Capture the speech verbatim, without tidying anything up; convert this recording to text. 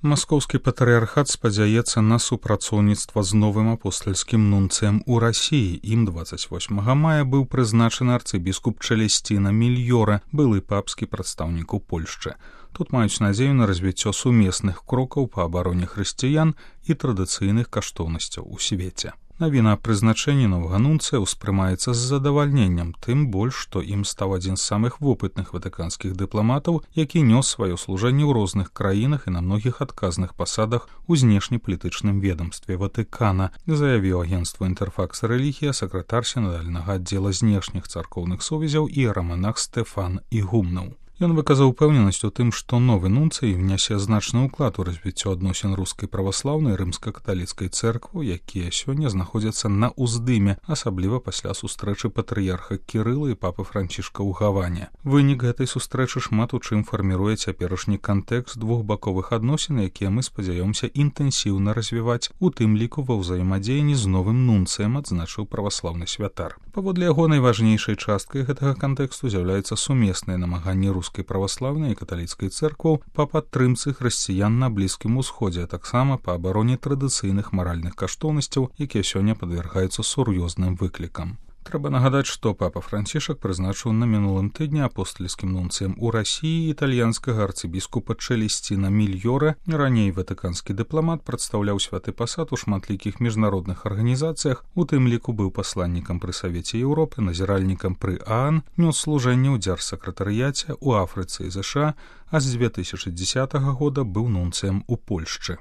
Маскоўскі патрыархат спадзяецца на супрацоўніцтва з новым апостальскім нунцыем у Расіі. Ім дваццаць восьмага мая быў прызначаны арцыбіскуп Чэлесціна Мільёра, былы папскі прадстаўнік у Польшчы. Тут маюць надзею на развіццё сумесных крокаў па абароне хрысціян і традыцыйных каштоўнасцяў у свеце. Навіна аб прызначэнні новага нунцыя ўспрымаецца з задавальненнем, тым больш, што ім стаў адзін з самых вопытных ватыканскіх дыпламатаў, які нёс сваё служэнне ў розных краінах і на многіх адказных пасадах у знешнепалітычным ведамстве Ватыкана, заявіў агенцтву «Інтэрфакс Рэлігія» сакратар сінадальнага аддзела знешніх царкоўных сувязяў іераманах Стэфан Ігумнаў. Ён выказаў упэўненасць у тым, што новы нунцый внясе значны ўклад у развіццё адносін рускай праваслаўнай рымска-каталіцкай цэрквы, якія сёння знаходзяцца на ўздыме, асабліва пасля сустрэчы патрыярха Кірыла і папы Францішка ў Гаване. Вынік гэтай сустрэчы шмат у чым фарміруе цяперашні кантэкст двухбаковых адносін, якія мы спадзяёмся інтэнсіўна развіваць, у тым ліку ва ўзаемадзеянні з новым нунцыем, адзначыў праваслаўны святар. Паводле яго найважнейшай часткай гэтага кантэксту з'яўляецца сумеснае намаганне рускай праваслаўнай і каталіцкай цэркваў па падтрымцы хрысціян на Блізкім Усходзе, а таксама па абароне традыцыйных маральных каштоўнасцяў, якія сёння падвяргаюцца сур'ёзным выклікам. Трэба нагадаць, што папа Францішак прызначыў на мінулым тыдні апостальскім нунцыем у Расіі італьянскага арцыбіскупа Чэлесціна Мільёра. Раней ватыканскі дыпламат прадстаўляў святы пасад у шматлікіх міжнародных арганізацыях, у тым ліку быў пасланнікам пры Савеце Еўропы, назіральнікам пры ААН, нёс служэнне ў дзяржсакратарыяце ў Афрыцы і ЗША, а з дзве тысячы дзесятага года быў нунцыем у Польшчы.